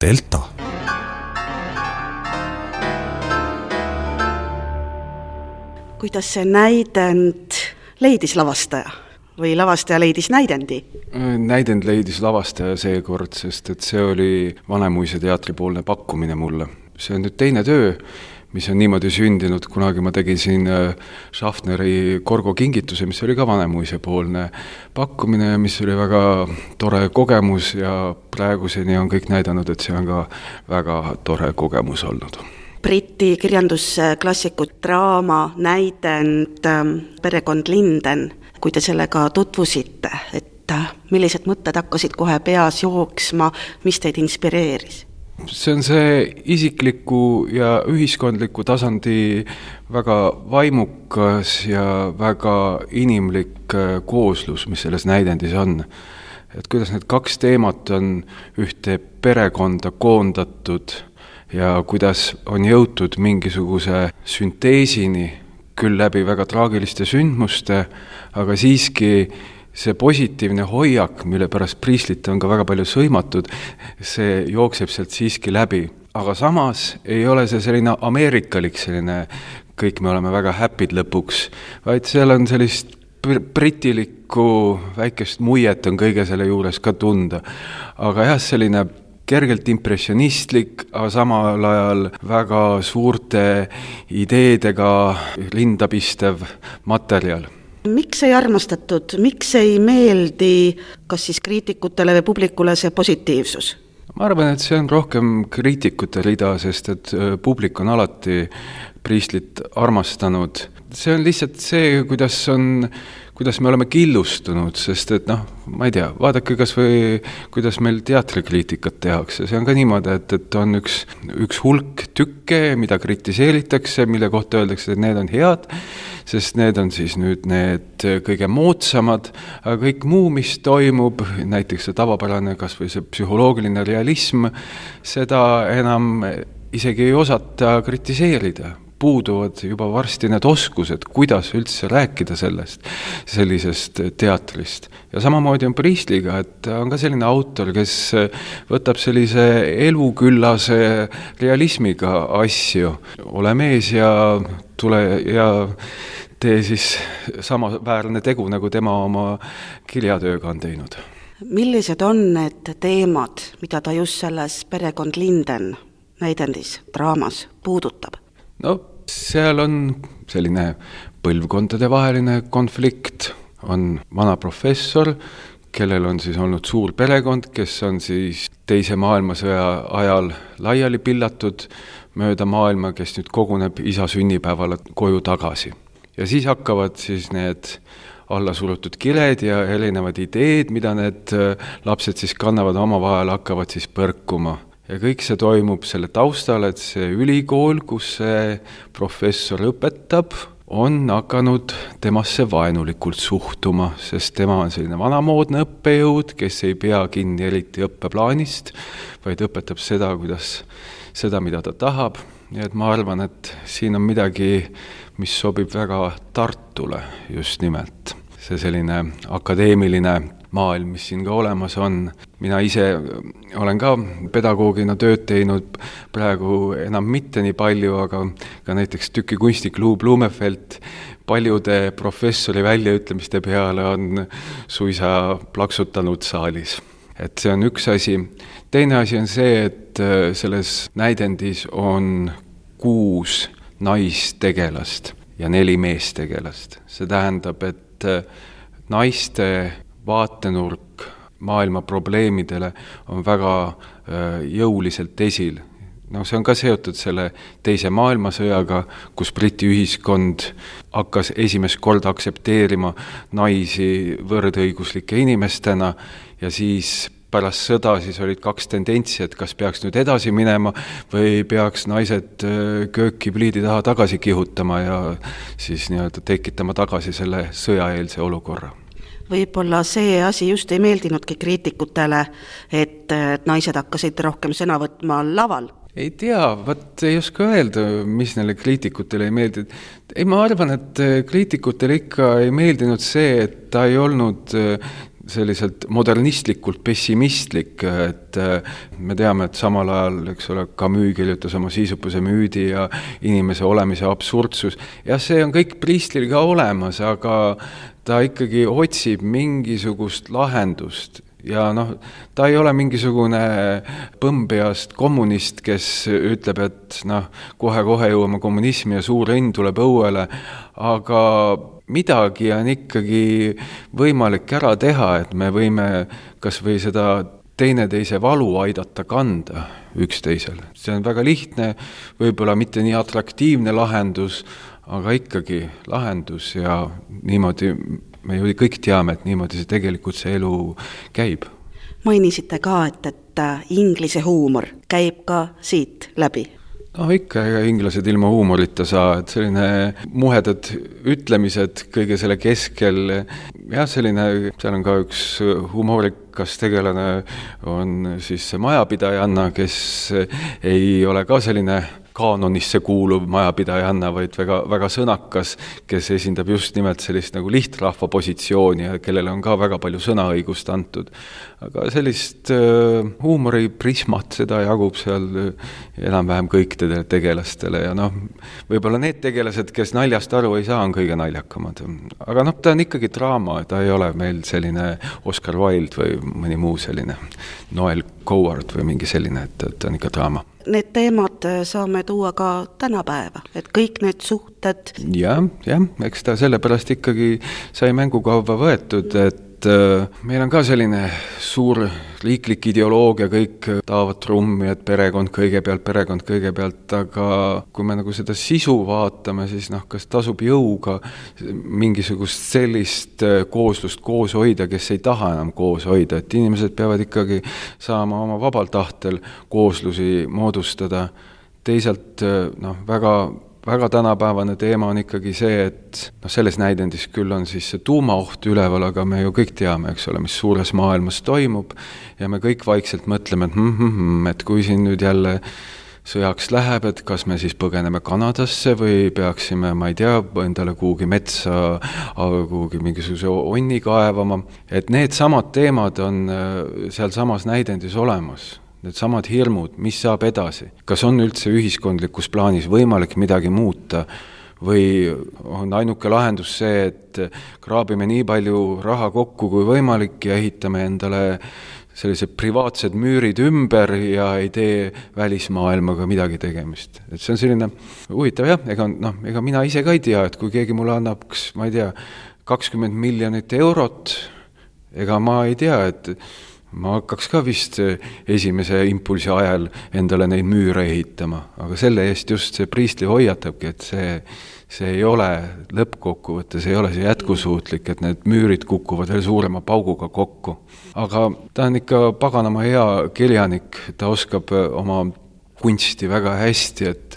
Delta. Kuidas see näidend leidis lavastaja või lavastaja leidis näidendi? Näidend leidis lavastaja seekord, sest et see oli Vanemuise teatripoolne pakkumine mulle. See on nüüd teine töö, mis on niimoodi sündinud. Kunagi ma tegin siin Schaffneri Korgo kingituse, mis oli ka Vanemuise poolne pakkumine, mis oli väga tore kogemus ja praeguseni on kõik näidanud, et see on ka väga tore kogemus olnud. Briti kirjandusklassiku draama näidend Perekond Linden, kui te sellega tutvusite, et millised mõtted hakkasid kohe peas jooksma, mis teid inspireeris? See on see isikliku ja ühiskondliku tasandi väga vaimukas ja väga inimlik kooslus, mis selles näidendis on. Et kuidas need kaks teemat on ühte perekonda koondatud ja kuidas on jõutud mingisuguse sünteesini, küll läbi väga traagiliste sündmuste, aga siiski see positiivne hoiak, mille pärast Priestlit on ka väga palju sõimatud, see jookseb sealt siiski läbi. Aga samas ei ole see selline ameerikalik, selline kõik me oleme väga happy'd lõpuks, vaid seal on sellist britilikku väikest muiet on kõige selle juures ka tunda. Aga jah, selline kergelt impressionistlik, aga samal ajal väga suurte ideedega rindapistev materjal. Miks ei armastatud, miks ei meeldi kas siis kriitikutele või publikule see positiivsus? Ma arvan, et see on rohkem kriitikute rida, sest et publik on alati Priestlit armastanud. See on lihtsalt see, kuidas me oleme killustunud, sest et ma ei tea, vaadake kas või kuidas meil teatrikriitikat tehakse. See on ka niimoodi, et on üks hulk tükke, mida kritiseeritakse, mille kohta öeldakse, et need on head, sest need on siis nüüd need kõige moodsamad, aga kõik muu, mis toimub, näiteks see tavapärane kas või see psühholoogiline realism, seda enam isegi ei osata kritiseerida. Puuduvad juba varsti need oskused, kuidas üldse rääkida sellisest teatrist. Ja samamoodi on Priestliga, et on ka selline autor, kes võtab sellise eluküllase realismiga asju. Ole mees ja tule ja tee siis samaväärne tegu, nagu tema oma kirjatööga on teinud. Millised on need teemad, mida ta just selles Perekond Linden näidendis, draamas puudutab? Seal on selline põlvkondade vaheline konflikt, on vana professor, kellel on siis olnud suur perekond, kes on siis teise maailmasõja ajal laiali pillatud mööda maailma, kes nüüd koguneb isa sünnipäeval koju tagasi. Ja siis hakkavad siis need alla surutud kired ja erinevad ideed, mida need lapsed siis kannavad omavahel, hakkavad siis põrkuma. Ja kõik see toimub selle taustal, et see ülikool, kus see professor õpetab, on hakanud temasse vaenulikult suhtuma, sest tema on selline vanamoodne õppejõud, kes ei pea kinni eriti õppeplaanist, vaid õpetab seda, mida ta tahab. Ja et ma arvan, et siin on midagi, mis sobib väga Tartule just nimelt. See selline akadeemiline maailm, mis siin ka olemas on. Mina ise olen ka pedagoogina tööd teinud praegu enam mitte nii palju, aga ka näiteks tükikunstnik Lou Blumefeld paljude professori väljaütlemiste peale on suisa plaksutanud saalis. Et see on üks asi. Teine asi on see, et selles näidendis on 6 naistegelast ja 4 meestegelast. See tähendab, et naiste vaatenurk maailma probleemidele on väga jõuliselt esil. See on ka seotud selle teise maailmasõjaga, kus Briti ühiskond hakkas esimest korda aksepteerima naisi võrdõiguslike inimestena ja siis pärast sõda siis olid 2 tendentsi, et kas peaks nüüd edasi minema või peaks naised köökipliidi taha tagasi kihutama ja siis tekitama tagasi selle sõjaeelse olukorra. Võib-olla see asi just ei meeldinudki kriitikutele, et naised hakkasid rohkem sõna võtma laval. Ei tea, ei oska öelda, mis neile kriitikutele ei meeldinud. Ei, ma arvan, et kriitikutele ikka ei meeldinud see, et ta ei olnud selliselt modernistlikult pessimistlik, et me teame, et samal ajal, eks ole, Camus kirjutas oma Siisupuse müüdi ja inimese olemise absurdsus. Ja see on kõik Priestlil ka olemas, aga ta ikkagi otsib mingisugust lahendust. Ja ta ei ole mingisugune põmbeast kommunist, kes ütleb, et kohe-kohe jõuame kommunismi ja suur õnn tuleb õuele, aga midagi on ikkagi võimalik ära teha, et me võime kas või seda teineteise valu aidata kanda üksteisele. See on väga lihtne, võib-olla mitte nii atraktiivne lahendus, aga ikkagi lahendus ja niimoodi me ju kõik teame, et niimoodi see tegelikult see elu käib. Mainisite ka, et inglise huumor käib ka siit läbi. Ikka, inglased ilma huumorita saa, et selline muhedad ütlemised kõige selle keskel. Ja selline, seal on ka üks humoorikas tegelane, on siis see majapidajanna, kes ei ole ka selline kaanonisse kuuluv majapidajanna, vaid väga, väga sõnakas, kes esindab just nimelt sellist nagu lihtrahva positsiooni ja kellele on ka väga palju sõnaõigust antud. Aga sellist huumoriprismat, seda jagub seal enam-vähem kõikidele tegelastele ja võib-olla need tegelased, kes naljast aru ei saa, on kõige naljakamad. Aga ta on ikkagi draama, ta ei ole meil selline Oscar Wilde või mõni muu selline Noel Coward või mingi selline, et ta on ikka draama. Need teemad saame tuua ka tänapäeva, et kõik need suhted... Ja, eks ta sellepärast ikkagi sai mängukauba võetud, et meil on ka selline suur riiklik ideoloogia, kõik taavad trummi, et perekond kõigepealt, aga kui me seda sisu vaatame, siis kas tasub jõuga mingisugust sellist kooslust koos hoida, kes ei taha enam koos hoida, et inimesed peavad ikkagi saama oma vabal tahtel kooslusi moodustada. Teisalt väga tänapäevane teema on ikkagi see, et selles näidendis küll on siis see tuumaoht üleval, aga me ju kõik teame, eks ole, mis suures maailmas toimub ja me kõik vaikselt mõtleme, et kui siin nüüd jälle sõjaks läheb, et kas me siis põgeneme Kanadasse või peaksime, ma ei tea, endale kuhugi metsa, kuhugi mingisuguse onni kaevama, et need samad teemad on seal samas näidendis olemas. Need samad hirmud, mis saab edasi. Kas on üldse ühiskondlikus plaanis võimalik midagi muuta või on ainuke lahendus see, et kraabime nii palju raha kokku kui võimalik ja ehitame endale sellised privaatsed müürid ümber ja ei tee välismaailmaga midagi tegemist. Et see on selline huvitav ega mina ise ka ei tea, et kui keegi mulle annaks, ma ei tea, 20 miljonit eurot, ega ma ei tea, et ma hakkaks ka vist esimese impulsi ajal endale neid müüre ehitama, aga selle eest just see Priestli hoiatabki, et see ei ole lõppkokkuvõttes, ei ole see jätkusuutlik, et need müürid kukuvad veel suurema pauguga kokku. Aga ta on ikka paganama hea kirjanik, ta oskab oma kunsti väga hästi, et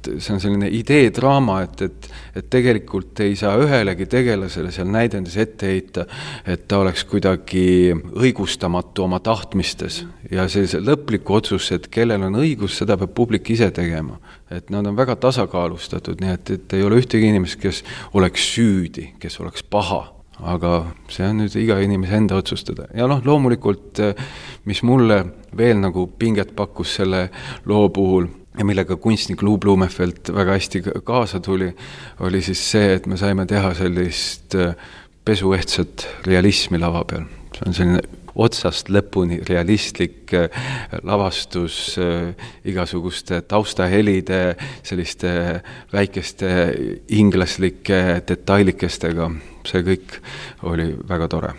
see on selline ideedraama, et tegelikult ei saa ühelegi tegelasele seal näidendis ette heita, et ta oleks kuidagi õigustamatu oma tahtmistes. Ja see lõplik otsus, et kellel on õigus, seda peab publik ise tegema. Et nad on väga tasakaalustatud, nii et ei ole ühtegi inimest, kes oleks süüdi, kes oleks paha. Aga see on nüüd iga inimese enda otsustada. Ja loomulikult, mis mulle veel nagu pinget pakkus selle loo puhul ja millega kunstnik Lou Blumenfeld väga hästi kaasa tuli, oli siis see, et me saime teha sellist pesuehtsat realismi lava peal. See on selline otsast lõpuni realistlik lavastus igasuguste taustahelide, selliste väikeste inglaslike detailikestega. See kõik oli väga tore.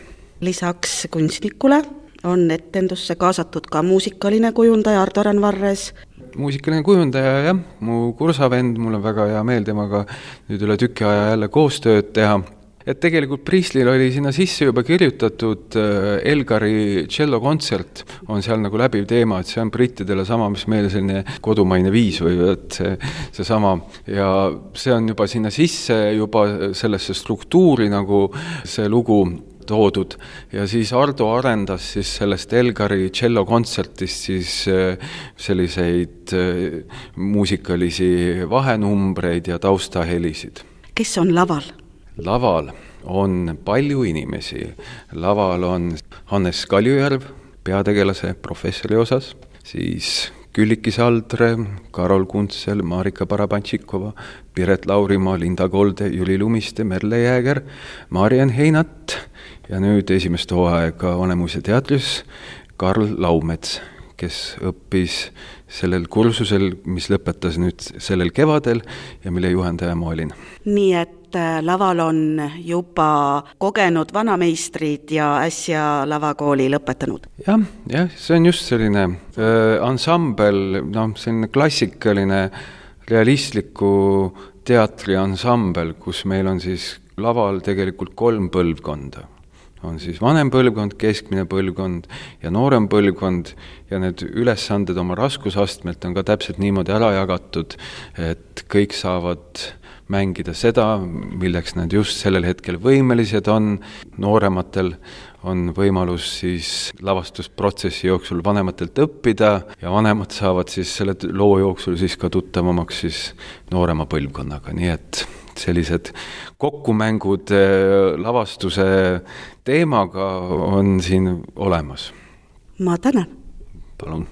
Lisaks kunstnikule on etendusse kaasatud ka muusikaline kujundaja Ardo Randvarres. Muusikaline kujundaja, jah, mu kursavend, mul on väga hea meel temaga nüüd üle tüki aja jälle koostööd teha. Et tegelikult Priestlil oli sinna sisse juba kirjutatud Elgari tšellokontsert, on seal nagu läbiv teema, et see on brittidele sama, mis meile selline kodumaine viis või et see sama. Ja see on juba sinna sisse, juba sellesse struktuuri nagu see lugu toodud. Ja siis Ardo arendas siis sellest Elgari tšellokontsertist siis selliseid muusikalisi vahenumbreid ja taustahelisid. Kes on laval? Laval on palju inimesi. Laval on Hannes Kaljujärv peategelase professori osas, siis Külliki Saldre, Karol Kuntsel, Marika Barabantšikova, Piret Laurimaa, Linda Kolde, Jüli Lumiste, Merle Jääger, Mariann Heinat ja nüüd esimest hooaega Vanemuise teatris Karl Laumets, kes õppis sellel kursusel, mis lõpetas nüüd sellel kevadel ja mille juhendaja ma olin. Nii et laval on juba kogenud vanameistrid ja äsja lavakooli lõpetanud. Jah, see on just selline ansambel, selline klassikaline realistliku teatri ansambel, kus meil on siis laval tegelikult 3 põlvkonda. On siis vanem põlvkond, keskmine põlvkond ja noorem põlvkond ja need ülesanded oma raskusastmelt on ka täpselt niimoodi ära jagatud, et kõik saavad mängida seda, milleks nad just sellel hetkel võimelised on. Noorematel on võimalus siis lavastusprotsessi jooksul vanematelt õppida ja vanemad saavad siis selle loo jooksul siis ka tuttavamaks siis noorema põlvkonnaga, nii et sellised kokkumängud lavastuse teemaga on siin olemas. Ma tänan. Palun.